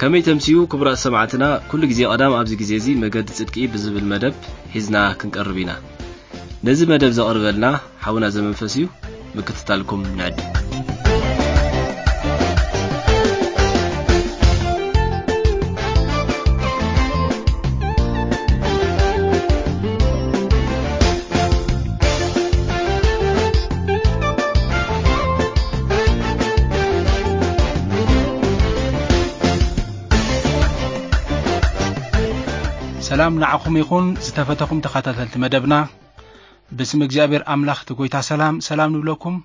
ከመይ ተምስዩ ክቡራት ሰማዕትና፣ ኩሉ ግዜ ቀዳም ኣብዚ ግዜ እዚ መገዲ ጽድቂ ብዝብል መደብ ሒዝና ክንቀርብ ኢና። ነዚ መደብ ዘቕርበልና ሓውና ዘመንፈስ እዩ። ምክትታልኩም ንዕድ። ሰላም ንዓኹም ይኹን ዝተፈተኹም ተኸታተልቲ መደብና። ብስም እግዚኣብሔር ኣምላኽ እቲ ጎይታ ሰላም ሰላም ንብለኩም።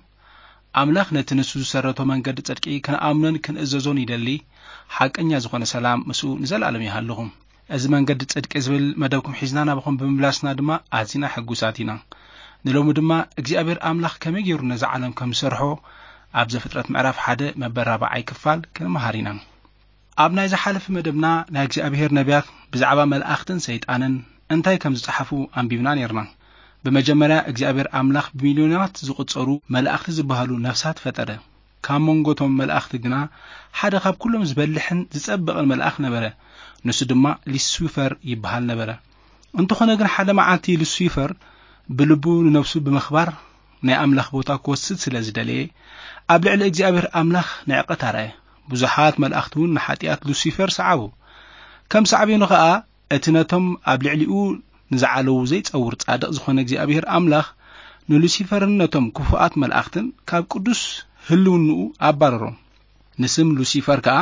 ኣምላኽ ነቲ ንሱ ዝሰረቶ መንገዲ ጽድቂ ክንኣምኖን ክንእዘዞን ይደሊ። ሓቀኛ ዝኾነ ሰላም ምስኡ ንዘለኣለም ይሃልኹም። እዚ መንገዲ ጽድቂ ዝብል መደብኩም ሒዝና ናባኹም ብምምላስና ድማ ኣዚና ሕጉሳት ኢና። ንሎሚ ድማ እግዚኣብሔር ኣምላኽ ከመይ ገይሩ ነዛ ዓለም ከም ዝሰርሖ ኣብ ዘፍጥረት ምዕራፍ ሓደ መበል ራብዓይ ክፋል ክንመሃር ኢና። ኣብ ናይ ዝሓለፈ መደብና ናይ እግዚኣብሔር ነቢያት ብዛዕባ መላእኽትን ሰይጣንን እንታይ ከም ዝጸሓፉ ኣንቢብና ነይርና። ብመጀመርያ እግዚኣብሔር ኣምላኽ ብሚልዮናት ዝቑጸሩ መላእኽቲ ዝበሃሉ ነፍሳት ፈጠረ። ካብ መንጎቶም መላእኽቲ ግና ሓደ ካብ ኩሎም ዝበልሕን ዝጸብቕን መልኣኽ ነበረ። ንሱ ድማ ሉሲፈር ይበሃል ነበረ። እንተኾነ ግን ሓደ መዓልቲ ሉሲፈር ብልቡ ንነፍሱ ብምኽባር ናይ ኣምላኽ ቦታ ክወስድ ስለ ዝደለየ ኣብ ልዕሊ እግዚኣብሔር ኣምላኽ ንዕቀት ኣርኣየ። ብዙሓት መላእኽቲ እውን ንሓጢኣት ሉሲፈር ሰዓቡ። ከም ሳዕቤኑ ኸኣ እቲ ነቶም ኣብ ልዕሊኡ ንዝዓለዉ ዘይጸውር ጻድቕ ዝኾነ እግዚኣብሔር ኣምላኽ ንሉሲፈርን ነቶም ክፉኣት መላእኽትን ካብ ቅዱስ ህልውንኡ ኣባረሮም። ንስም ሉሲፈር ከኣ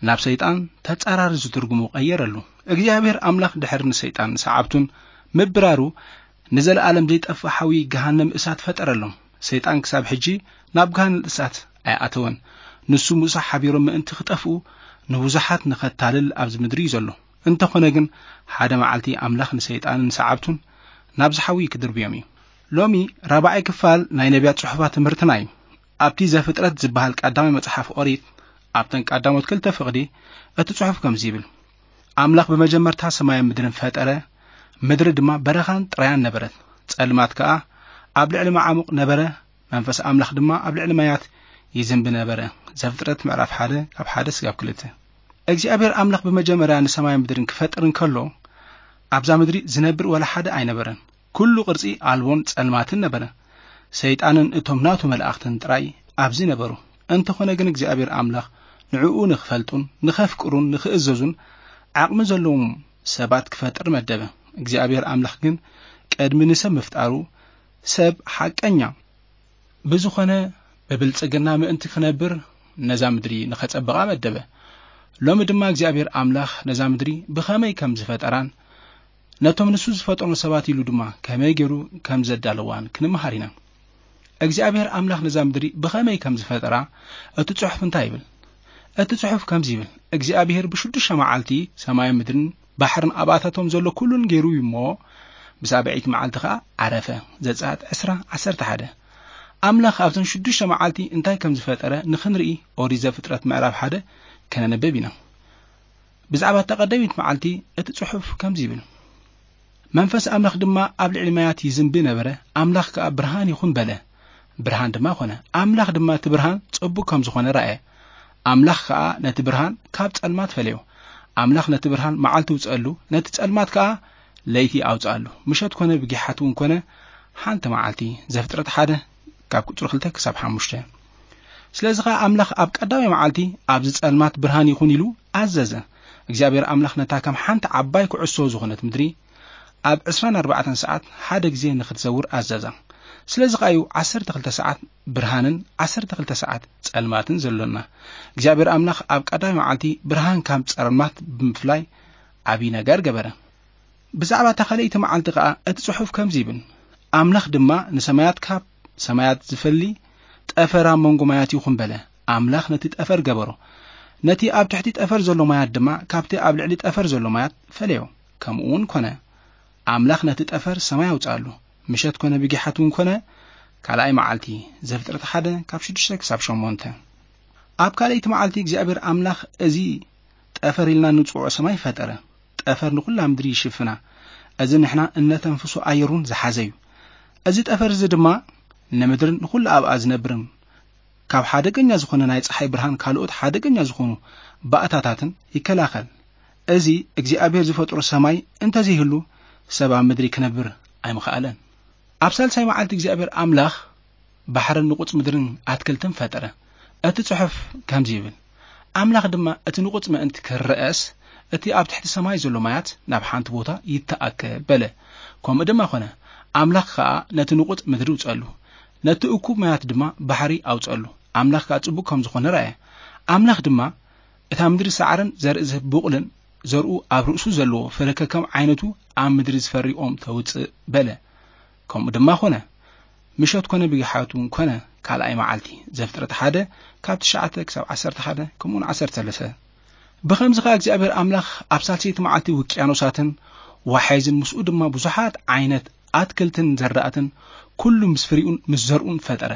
ናብ ሰይጣን ተጻራሪ ዝትርጉሙ ቀየረሉ። እግዚኣብሔር ኣምላኽ ድሕሪ ንሰይጣን ሰዓብቱን ምብራሩ ንዘለኣለም ዘይጠፍእ ሓዊ ገሃነም እሳት ፈጠረሎም። ሰይጣን ክሳብ ሕጂ ናብ ገሃነም እሳት ኣይኣተወን። ንሱ ምስኡ ሓቢሮም ምእንቲ ክጠፍኡ ንብዙሓት ንኸታልል ኣብዚ ምድሪ እዩ ዘሎ። እንተኾነ ግን ሓደ መዓልቲ ኣምላኽ ንሰይጣንን ንሰዓብቱን ናብዚ ሓዊ ክድርብዮም እዩ። ሎሚ ራብዓይ ክፋል ናይ ነቢያት ጽሑፋት ትምህርትና እዩ። ኣብቲ ዘፍጥረት ዝበሃል ቀዳማይ መጽሓፍ ኦሪት ኣብተን ቀዳሞት ክልተ ፍቕዲ እቲ ጽሑፍ ከምዚ ይብል። ኣምላኽ ብመጀመርታ ሰማይን ምድርን ፈጠረ፣ ምድሪ ድማ በረኻን ጥራያን ነበረት። ጸልማት ከኣ ኣብ ልዕሊ መዓሙቕ ነበረ፣ መንፈስ ኣምላኽ ድማ ኣብ ልዕሊ ማያት ይዝንቢ ነበረ። ዘፍጥረት ምዕራፍ ሓደ ካብ ሓደ ስጋብ ክልተ። እግዚኣብሔር ኣምላኽ ብመጀመርያ ንሰማይን ምድርን ክፈጥር እንከሎ ኣብዛ ምድሪ ዝነብር ወላ ሓደ ኣይነበረን። ኩሉ ቅርጺ ኣልቦን ጸልማትን ነበረ። ሰይጣንን እቶም ናቱ መላእኽትን ጥራይ ኣብዚ ነበሩ። እንተኾነ ግን እግዚኣብሔር ኣምላኽ ንዕኡ ንኽፈልጡን ንኸፍቅሩን ንኽእዘዙን ዓቕሚ ዘለዎም ሰባት ክፈጥር መደበ። እግዚኣብሔር ኣምላኽ ግን ቅድሚ ንሰብ ምፍጣሩ ሰብ ሓቀኛ ብዝኾነ ብብልጽግና ምእንቲ ክነብር ነዛ ምድሪ ንኸጸብቓ መደበ። ሎሚ ድማ እግዚኣብሔር ኣምላኽ ነዛ ምድሪ ብኸመይ ከም ዝፈጠራን ነቶም ንሱ ዝፈጠሮም ሰባት ኢሉ ድማ ከመይ ገይሩ ከም ዘዳለዋን ክንመሃር ኢና። እግዚኣብሔር ኣምላኽ ነዛ ምድሪ ብኸመይ ከም ዝፈጠራ እቲ ጽሑፍ እንታይ ይብል? እቲ ጽሑፍ ከምዚ ይብል፣ እግዚኣብሔር ብሽዱሽተ መዓልቲ ሰማይን ምድርን ባሕርን ኣብኣታቶም ዘሎ ኩሉን ገይሩ እዩ እሞ፣ ብሳብዐይቲ መዓልቲ ኸኣ ዓረፈ። ዘጸኣት ዕስራ፣ ዓሰርተ ሓደ። ኣምላኽ ኣብዘን ሽዱሽተ መዓልቲ እንታይ ከም ዝፈጠረ ንኽንርኢ ኦሪት ዘፍጥረት ምዕራፍ ሓደ ከነንብብ ኢና። ብዛዕባ እታ ቀዳመይቲ መዓልቲ እቲ ጽሑፍ ከምዚ ይብል፣ መንፈስ ኣምላኽ ድማ ኣብ ልዕሊ ማያት ይዝንቢ ነበረ፣ ኣምላኽ ከኣ ብርሃን ይኹን በለ፣ ብርሃን ድማ ኾነ። ኣምላኽ ድማ እቲ ብርሃን ጽቡቕ ከም ዝኾነ ረኣየ። ኣምላኽ ከኣ ነቲ ብርሃን ካብ ጸልማት ፈለዮ። ኣምላኽ ነቲ ብርሃን መዓልቲ ውጽኣሉ፣ ነቲ ጸልማት ከኣ ለይቲ ኣውጽኣሉ። ምሸት ኮነ ብጊሓት እውን ኮነ ሓንቲ መዓልቲ። ዘፍጥረት ሓደ ካብ ቁጽሪ ክልተ ክሳብ ሓሙሽተ። ስለዚ ኸኣ ኣምላኽ ኣብ ቀዳማይ መዓልቲ ኣብዚ ጸልማት ብርሃን ይኹን ኢሉ ኣዘዘ። እግዚኣብሔር ኣምላኽ ነታ ከም ሓንቲ ዓባይ ኩዕሶ ዝኾነት ምድሪ ኣብ ዕስራን ኣርባዕተን ሰዓት ሓደ ግዜ ንኽትዘውር ኣዘዛ። ስለዚ ኸኣ እዩ ዓሰርተ ክልተ ሰዓት ብርሃንን ዓሰርተ ክልተ ሰዓት ጸልማትን ዘሎና። እግዚኣብሔር ኣምላኽ ኣብ ቀዳማይ መዓልቲ ብርሃን ካብ ጸልማት ብምፍላይ ዓብዪ ነገር ገበረ። ብዛዕባ እታ ካልኣይቲ መዓልቲ ኸኣ እቲ ጽሑፍ ከምዚ ይብል፣ ኣምላኽ ድማ ንሰማያት ካብ ሰማያት ዝፈሊ ጠፈር ኣብ መንጎ ማያት ይኹን በለ። ኣምላኽ ነቲ ጠፈር ገበሮ። ነቲ ኣብ ትሕቲ ጠፈር ዘሎ ማያት ድማ ካብቲ ኣብ ልዕሊ ጠፈር ዘሎ ማያት ፈለዮ። ከምኡ እውን ኮነ። ኣምላኽ ነቲ ጠፈር ሰማይ ኣውጽኣሉ። ምሸት ኮነ ብጊሓት እውን ኮነ ካልኣይ መዓልቲ። ዘፍጥረት ሓደ ካብ ሽዱሽተ ክሳብ ሸሞንተ። ኣብ ካልኣይቲ መዓልቲ እግዚኣብሔር ኣምላኽ እዚ ጠፈር ኢልና ንጽውዖ ሰማይ ፈጠረ። ጠፈር ንኹላ ምድሪ ይሽፍና። እዚ ንሕና እነተንፍሶ ኣየር እውን ዝሓዘ እዩ። እዚ ጠፈር እዚ ድማ ንምድርን ንኹሉ ኣብኣ ዝነብርን ካብ ሓደገኛ ዝኾነ ናይ ጸሓይ ብርሃን ካልኦት ሓደገኛ ዝኾኑ ባእታታትን ይከላኸል። እዚ እግዚኣብሔር ዝፈጥሮ ሰማይ እንተዘይህሉ ሰብ ኣብ ምድሪ ክነብር ኣይምኸኣለን። ኣብ ሳልሳይ መዓልቲ እግዚኣብሔር ኣምላኽ ባሕርን ንቑጽ ምድርን ኣትክልትን ፈጠረ። እቲ ጽሑፍ ከምዚ ይብል፣ ኣምላኽ ድማ እቲ ንቑጽ ምእንቲ ክረአስ እቲ ኣብ ትሕቲ ሰማይ ዘሎ ማያት ናብ ሓንቲ ቦታ ይተኣከ በለ። ከምኡ ድማ ኾነ። ኣምላኽ ኸኣ ነቲ ንቑጽ ምድሪ ውጸሉ፣ ነቲ እኩብ ማያት ድማ ባሕሪ ኣውጸሉ። ኣምላኽ ከኣ ጽቡቕ ከም ዝኾነ ረኣየ። ኣምላኽ ድማ እታ ምድሪ ሳዕርን ዘርኢ ዝህብ ቡቕልን ዘርኡ ኣብ ርእሱ ዘለዎ ፍረ ከከም ዓይነቱ ኣብ ምድሪ ዝፈሪ ኦም ተውጽእ በለ። ከምኡ ድማ ኾነ። ምሸት ኮነ ብጊሓቱ ኮነ ካልኣይ መዓልቲ። ዘፍጥረት ሓደ ካብ ትሽዓተ ክሳብ ዓሰርተ ሓደ ከምኡውን ዓሰርተ ሰለስተ። ብኸምዚ ኸኣ እግዚኣብሔር ኣምላኽ ኣብ ሳልሰይቲ መዓልቲ ውቅያኖሳትን ዋሓይዝን ምስኡ ድማ ብዙሓት ዓይነት ኣትክልትን ዘራእትን ኩሉ ምስ ፍሪኡን ምስ ዘርኡን ፈጠረ።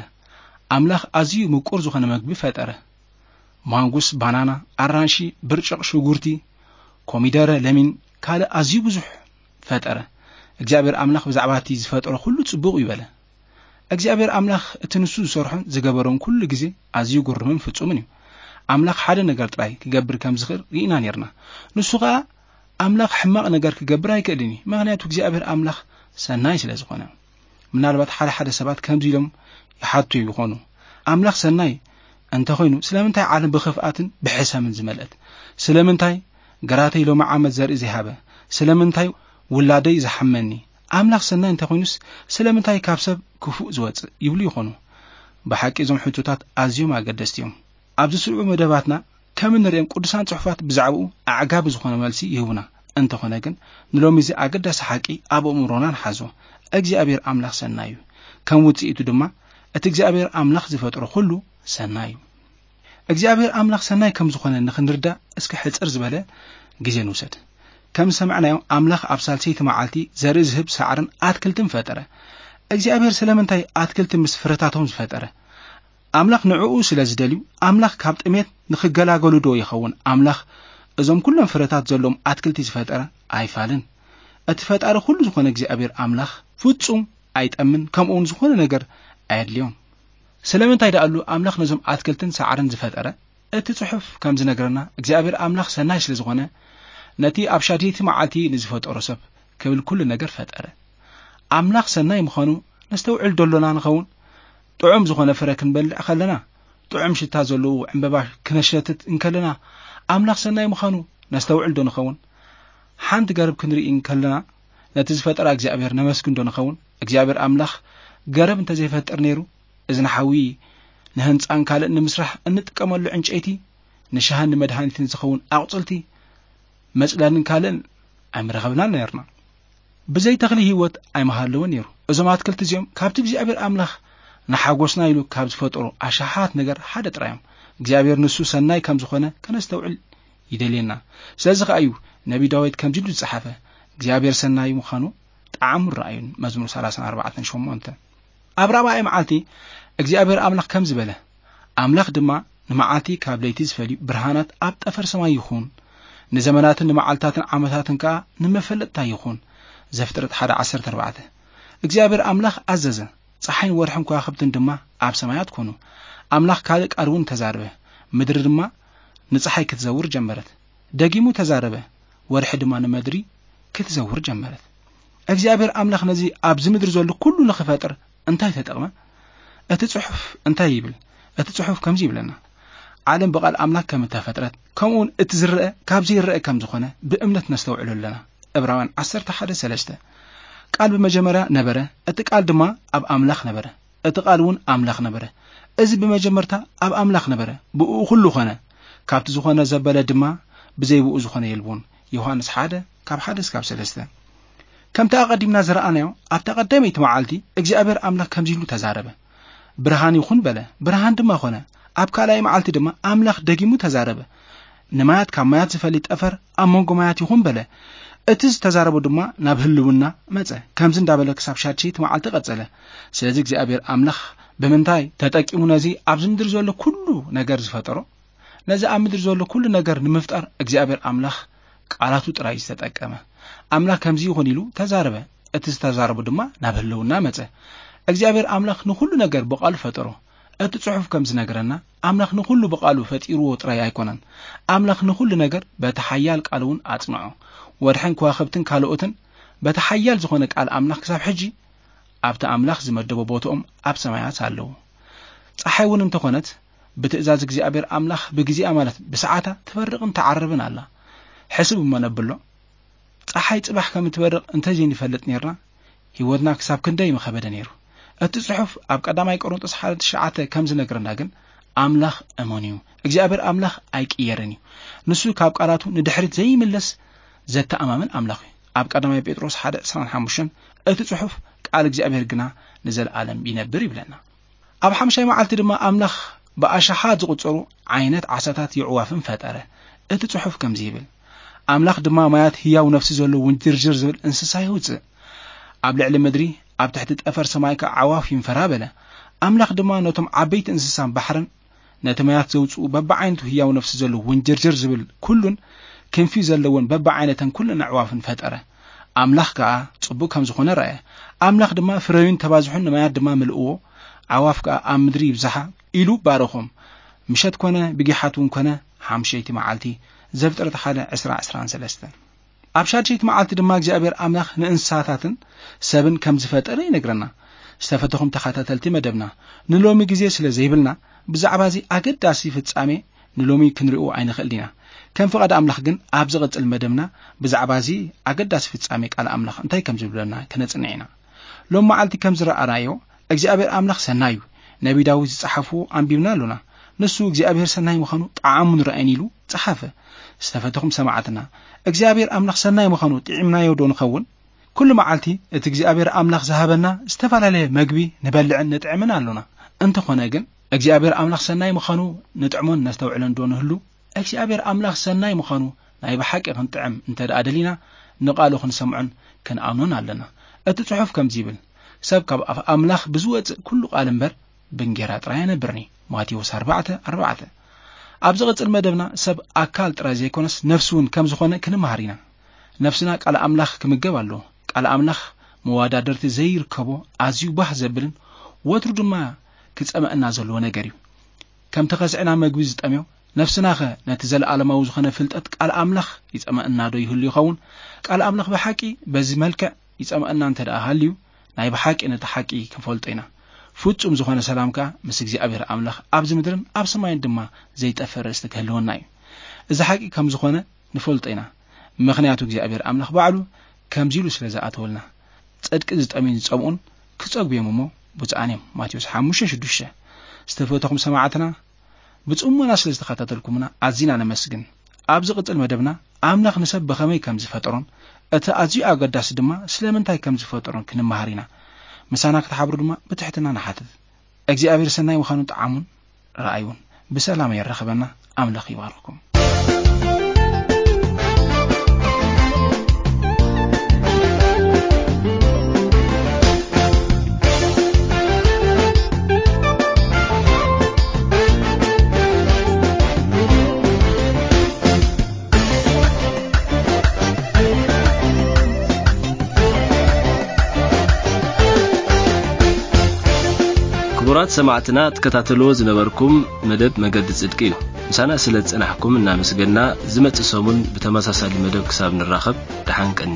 ኣምላኽ ኣዝዩ ምቁር ዝኾነ መግቢ ፈጠረ። ማንጉስ፣ ባናና፣ ኣራንሺ፣ ብርጭቕ፣ ሽጉርቲ፣ ኮሚደረ፣ ለሚን፣ ካልእ ኣዝዩ ብዙሕ ፈጠረ። እግዚኣብሔር ኣምላኽ ብዛዕባ እቲ ዝፈጠሮ ኩሉ ጽቡቕ እዩ በለ። እግዚኣብሔር ኣምላኽ እቲ ንሱ ዝሰርሖን ዝገበሮን ኩሉ ግዜ ኣዝዩ ግሩምን ፍጹምን እዩ። ኣምላኽ ሓደ ነገር ጥራይ ክገብር ከም ዝኽእል ርኢና ኔርና። ንሱ ኸኣ ኣምላኽ ሕማቕ ነገር ክገብር ኣይክእልን እዩ፣ ምኽንያቱ እግዚኣብሔር ኣምላኽ ሰናይ ስለ ዝኾነ። ምናልባት ሓደ ሓደ ሰባት ከምዚ ኢሎም ይሓቱ ይኾኑ፣ ኣምላኽ ሰናይ እንተኾይኑ ስለምንታይ ዓለም ብኽፍኣትን ብሕሰምን ዝመልአት? ስለምንታይ ግራተይ ሎሚ ዓመት ዘርኢ ዘይሃበ? ስለምንታይ ውላደይ ዝሓመኒ? ኣምላኽ ሰናይ እንተኾይኑስ ስለምንታይ ካብ ሰብ ክፉእ ዝወጽእ? ይብሉ ይኾኑ። ብሓቂ እዞም ሕቶታት ኣዝዮም ኣገደስቲ እዮም። ኣብ ዝስዕቡ መደባትና ከም እንርእዮም ቅዱሳን ጽሑፋት ብዛዕባኡ ኣዕጋቢ ዝኾነ መልሲ ይህቡና። እንተኾነ ግን ንሎሚ እዚ ኣገዳሲ ሓቂ ኣብ ኣእምሮና ንሓዞ። እግዚኣብሔር ኣምላኽ ሰናይ እዩ። ከም ውጽኢቱ ድማ እቲ እግዚኣብሔር ኣምላኽ ዝፈጥሮ ኩሉ ሰናይ እዩ። እግዚኣብሔር ኣምላኽ ሰናይ ከም ዝኾነ ንኽንርዳእ እስከ ሕጽር ዝበለ ግዜ ንውሰድ። ከም ዝሰማዕናዮ ኣምላኽ ኣብ ሳልሰይቲ መዓልቲ ዘርኢ ዝህብ ሳዕርን ኣትክልትን ፈጠረ። እግዚኣብሔር ስለምንታይ ኣትክልቲ ምስ ፍረታቶም ዝፈጠረ? ኣምላኽ ንዕኡ ስለ ዝደልዩ ኣምላኽ ካብ ጥሜት ንኽገላገሉ ዶ ይኸውን ኣምላኽ እዞም ኩሎም ፍረታት ዘለዎም ኣትክልቲ ዝፈጠረ? ኣይፋልን። እቲ ፈጣሪ ኩሉ ዝኾነ እግዚኣብሔር ኣምላኽ ፍጹም ኣይጠምን፣ ከምኡውን ዝኾነ ነገር ኣየድልዮም። ስለምንታይ ደኣሉ ኣምላኽ ነዞም ኣትክልትን ሳዕርን ዝፈጠረ? እቲ ጽሑፍ ከም ዝነግረና እግዚኣብሔር ኣምላኽ ሰናይ ስለ ዝኾነ ነቲ ኣብ ሻድየይቲ መዓልቲ ንዝፈጠሮ ሰብ ክብል ኩሉ ነገር ፈጠረ። ኣምላኽ ሰናይ ምዃኑ ነስተውዕል ዶ ኣሎና ንኸውን? ጥዑም ዝኾነ ፍረ ክንበልዕ ከለና፣ ጥዑም ሽታ ዘለዎ ዕምበባ ክነሸትት እንከለና ኣምላኽ ሰናይ ምዃኑ ነስተውዕል ዶ ንኸውን? ሓንቲ ገረብ ክንርኢ እንከለና ነቲ ዝፈጠራ እግዚኣብሔር ነመስግን ዶ ንኸውን? እግዚኣብሔር ኣምላኽ ገረብ እንተዘይፈጥር ነይሩ እዚ ንሓዊ ንህንጻን ካልእን ንምስራሕ እንጥቀመሉ ዕንጨይቲ፣ ንሻህን ንመድሃኒትን ዝኸውን ኣቑጽልቲ፣ መጽለልን ካልእን ኣይምረኸብናን ነርና። ብዘይ ተኽሊ ህይወት ኣይምሃለወን ነይሩ። እዞም ኣትክልቲ እዚኦም ካብቲ እግዚኣብሔር ኣምላኽ ንሓጎስና ኢሉ ካብ ዝፈጠሮ ኣሽሓት ነገር ሓደ ጥራይ እዮም። እግዚኣብሔር ንሱ ሰናይ ከም ዝኾነ ከነስተውዕል ይደልየና። ስለዚ ኸኣ እዩ ነቢ ዳዊት ከምዚ ኢሉ ዝጸሓፈ፣ እግዚኣብሔር ሰናይ ምዃኑ ጣዕሙ ረኣዩን። መዝሙር ሰላሳን ኣርባዕተን ሸሞንተ። ኣብ ራብዓይ መዓልቲ እግዚኣብሔር ኣምላኽ ከምዚ በለ፣ ኣምላኽ ድማ ንመዓልቲ ካብ ለይቲ ዝፈልዩ ብርሃናት ኣብ ጠፈር ሰማይ ይኹን፣ ንዘመናትን ንመዓልታትን ዓመታትን ከኣ ንመፈለጥታ ይኹን። ዘፍጥረት ሓደ ዓሰርተ ኣርባዕተ። እግዚኣብሔር ኣምላኽ ኣዘዘ፣ ጸሓይን ወርሕን ከዋኽብትን ድማ ኣብ ሰማያት ኮኑ። ኣምላኽ ካልእ ቃል እውን ተዛረበ፣ ምድሪ ድማ ንጸሓይ ክትዘውር ጀመረት። ደጊሙ ተዛረበ፣ ወርሒ ድማ ንመድሪ ክትዘውር ጀመረት። እግዚኣብሔር ኣምላኽ ነዚ ኣብዚ ምድሪ ዘሎ ኩሉ ንኽፈጥር እንታይ ተጠቕመ? እቲ ጽሑፍ እንታይ ይብል? እቲ ጽሑፍ ከምዚ ይብለና፣ ዓለም ብቓል ኣምላኽ ከም እተፈጥረት፣ ከምኡውን እቲ ዝረአ ካብ ዘይረአ ከም ዝኾነ ብእምነት ነስተውዕሎ ኣለና። ዕብራውያን ዓሰርተ ሓደ ሰለስተ። ቃል ብመጀመርያ ነበረ፣ እቲ ቃል ድማ ኣብ ኣምላኽ ነበረ፣ እቲ ቃል እውን ኣምላኽ ነበረ። እዚ ብመጀመርታ ኣብ ኣምላኽ ነበረ፣ ብእኡ ኩሉ ኾነ። ካብቲ ዝኾነ ዘበለ ድማ ብዘይ ብኡ ዝኾነ የልቦን። ዮሃንስ ሓደ ካብ ሓደ እስካብ ሰለስተ። ከምቲ ኣቐዲምና ዝረኣናዮ ኣብታ ቀዳመይቲ መዓልቲ እግዚኣብሔር ኣምላኽ ከምዚ ኢሉ ተዛረበ፣ ብርሃን ይኹን በለ፣ ብርሃን ድማ ኾነ። ኣብ ካልኣይ መዓልቲ ድማ ኣምላኽ ደጊሙ ተዛረበ፣ ንማያት ካብ ማያት ዝፈሊ ጠፈር ኣብ መንጎ ማያት ይኹን በለ፣ እቲ ዝተዛረቦ ድማ ናብ ህልውና መጸ። ከምዚ እንዳበለ ክሳብ ሻድሸይቲ መዓልቲ ቀጸለ። ስለዚ እግዚኣብሔር ኣምላኽ ብምንታይ ተጠቂሙ ነዚ ኣብዚ ምድሪ ዘሎ ኩሉ ነገር ዝፈጠሮ? ነዚ ኣብ ምድሪ ዘሎ ኩሉ ነገር ንምፍጣር እግዚኣብሔር ኣምላኽ ቃላቱ ጥራይ ዝተጠቀመ። ኣምላኽ ከምዚ ይኹን ኢሉ ተዛረበ፣ እቲ ዝተዛረቦ ድማ ናብ ህልውና መጸ። እግዚኣብሔር ኣምላኽ ንኹሉ ነገር ብቓሉ ፈጠሮ። እቲ ጽሑፍ ከም ዝነግረና፣ ኣምላኽ ንኹሉ ብቓሉ ፈጢርዎ ጥራይ ኣይኮነን። ኣምላኽ ንኹሉ ነገር በቲ ሓያል ቃሉ እውን ኣጽንዖ። ወርሕን ከዋኽብትን ካልኦትን በቲ ሓያል ዝኾነ ቃል ኣምላኽ ክሳብ ሕጂ ኣብቲ ኣምላኽ ዝመደቦ ቦትኦም ኣብ ሰማያት ኣለዉ። ጸሓይ እውን እንተኾነት ብትእዛዝ እግዚኣብሔር ኣምላኽ ብግዜኣ፣ ማለት ብሰዓታ፣ ትበርቕን ትዓርብን ኣላ። ሕስብ እሞ ነብሎ። ጸሓይ ጽባሕ ከም እትበርቕ እንተዘይንፈልጥ ኔርና፣ ህይወትና ክሳብ ክንደይ ምኸበደ ኔሩ። እቲ ጽሑፍ ኣብ ቀዳማይ ቆሮንጦስ ሓደ ትሽዓተ ከም ዝነግረና ግን፣ ኣምላኽ እሙን እዩ። እግዚኣብሔር ኣምላኽ ኣይቅየርን እዩ። ንሱ ካብ ቃላቱ ንድሕሪት ዘይምለስ ዘተኣማምን ኣምላኽ እዩ። ኣብ ቀዳማይ ጴጥሮስ ሓደ ዕስራን ሓሙሽተን፣ እቲ ጽሑፍ፣ "ቃል እግዚኣብሔር ግና ንዘለኣለም ይነብር" ይብለና። ኣብ ሓምሻይ መዓልቲ ድማ ኣምላኽ ብኣሽሓት ዝቑጸሩ ዓይነት ዓሳታት የዕዋፍን ፈጠረ። እቲ ጽሑፍ ከምዚ ይብል፣ "ኣምላኽ ድማ ማያት ህያው ነፍሲ ዘለዎ ውንጅርጅር ዝብል እንስሳ የውጽእ። ኣብ ልዕሊ ምድሪ፣ ኣብ ትሕቲ ጠፈር ሰማይ ከኣ ኣዕዋፍ ይንፈራ" በለ። ኣምላኽ ድማ ነቶም ዓበይቲ እንስሳን ባሕርን፣ ነቲ ማያት ዘውጽኡ በብዓይነቱ ህያው ነፍሲ ዘለዎ ውንጅርጅር ዝብል ኩሉን ክንፊ ዘለወን በብዓይነተን ኩለን ኣዕዋፍን ፈጠረ። ኣምላኽ ከኣ ጽቡቕ ከም ዝኾነ ረኣየ። ኣምላኽ ድማ፣ "ፍረዩን ተባዝሑን፣ ንማያት ድማ ምልእዎ፣ ኣዕዋፍ ከኣ ኣብ ምድሪ ይብዝሓ" ኢሉ ባረኾም። ምሸት ኮነ፣ ብጊሓት እውን ኮነ፣ ሓምሸይቲ መዓልቲ። ዘፍጥረት ሓደ ዕስራ፣ ዕስራን ሰለስተን። ኣብ ሻድሸይቲ መዓልቲ ድማ እግዚኣብሔር ኣምላኽ ንእንስሳታትን ሰብን ከም ዝፈጠረ ይነግረና። ዝተፈተኹም ተኸታተልቲ መደብና፣ ንሎሚ ግዜ ስለ ዘይብልና፣ ብዛዕባ እዚ ኣገዳሲ ፍጻሜ ንሎሚ ክንሪኦ ኣይንኽእልን ኢና። ከም ፍቓድ ኣምላኽ ግን፣ ኣብ ዝቕጽል መደብና ብዛዕባ እዚ ኣገዳሲ ፍጻሜ ቃል ኣምላኽ እንታይ ከም ዝብለና ክነጽንዕ ኢና። ሎም መዓልቲ ከም ዝረኣናዮ፣ እግዚኣብሔር ኣምላኽ ሰናይ እዩ። ነቢ ዳዊት ዝጸሓፍዎ ኣንቢብና ኣሎና። ንሱ እግዚኣብሔር ሰናይ ምዃኑ ጠዓሙን ረኣየን ኢሉ ጸሓፈ። ዝተፈተኹም ሰማዕትና፣ እግዚኣብሔር ኣምላኽ ሰናይ ምዃኑ ጥዒምናዮ ዶ ንኸውን? ኩሉ መዓልቲ እቲ እግዚኣብሔር ኣምላኽ ዝሃበና ዝተፈላለየ መግቢ ንበልዕን ንጥዕምን ኣሎና። እንተኾነ ግን፣ እግዚኣብሔር ኣምላኽ ሰናይ ምዃኑ ንጥዕሞን ነስተውዕለን ዶ ንህሉ? እግዚኣብሔር ኣምላኽ ሰናይ ምዃኑ ናይ ብሓቂ ክንጥዕም እንተ ደኣ ደሊና፣ ንቓሉ ክንሰምዖን ክንኣምኖን ኣለና። እቲ ጽሑፍ ከምዚ ይብል፣ "ሰብ ካብ ኣፍ ኣምላኽ ብዝወጽእ ኩሉ ቃል እምበር፣ ብእንጌራ ጥራይ ኣይነብርን እዩ።" ማቴዎስ ኣርባዕተ ኣርባዕተ። ኣብ ዝቕጽል መደብና፣ ሰብ ኣካል ጥራይ ዘይኮነስ፣ ነፍሲ እውን ከም ዝኾነ ክንመሃር ኢና። ነፍስና ቃል ኣምላኽ ክምገብ ኣለዎ። ቃል ኣምላኽ መወዳደርቲ ዘይርከቦ፣ ኣዝዩ ባህ ዘብልን ወትሩ ድማ ክጸመአና ዘለዎ ነገር እዩ። ከምቲ ከስዕና መግቢ ዝጠምዮ፣ ነፍስናኸ ነቲ ዘለኣለማዊ ዝኾነ ፍልጠት ቃል ኣምላኽ ይጸመአና ዶ ይህሉ ይኸውን? ቃል ኣምላኽ ብሓቂ በዚ መልክዕ ይጸመአና እንተ ደኣ ሃልዩ፣ ናይ ብሓቂ ነቲ ሓቂ ክንፈልጦ ኢና። ፍጹም ዝኾነ ሰላም ከኣ ምስ እግዚኣብሔር ኣምላኽ ኣብዚ ምድርን ኣብ ሰማይን ድማ ዘይጠፍእ ርእስቲ ክህልወና እዩ። እዚ ሓቂ ከም ዝኾነ ንፈልጦ ኢና። ምኽንያቱ እግዚኣብሔር ኣምላኽ ባዕሉ ከምዚ ኢሉ ስለ ዝኣተወልና፣ "ጽድቂ ዝጠምዩን ዝጸምኡን ክጸግቡ እዮም እሞ ብፁዓን እዮም።" ማቴዎስ ሓሙሽተ ሽዱሽተ። ዝተፈተኹም ሰማዕትና፣ ብጽሞና ስለ ዝተኸታተልኩምና ኣዚና ነመስግን። ኣብ ዝቕጽል መደብና፣ ኣምላኽ ንሰብ ብኸመይ ከም ዝፈጠሮን፣ እቲ ኣዝዩ ኣገዳሲ ድማ ስለምንታይ ከም ዝፈጠሮን ክንመሃር ኢና። ምሳና ክትሓብሩ ድማ ብትሕትና ንሓትት። እግዚኣብሔር ሰናይ ምዃኑ ጠዓሙን ረኣዩን። ብሰላም የራኽበና። ኣምላኽ ይባርኽኩም። ክቡራት ሰማዕትና፣ ትከታተልዎ ዝነበርኩም መደብ መገዲ ጽድቂ እዩ። ምሳና ስለ ዝጸናሕኩም እናመስገንና፣ ዝመጽእ ሰሙን ብተመሳሳሊ መደብ ክሳብ ንራኸብ፣ ደሓን ቀኒ።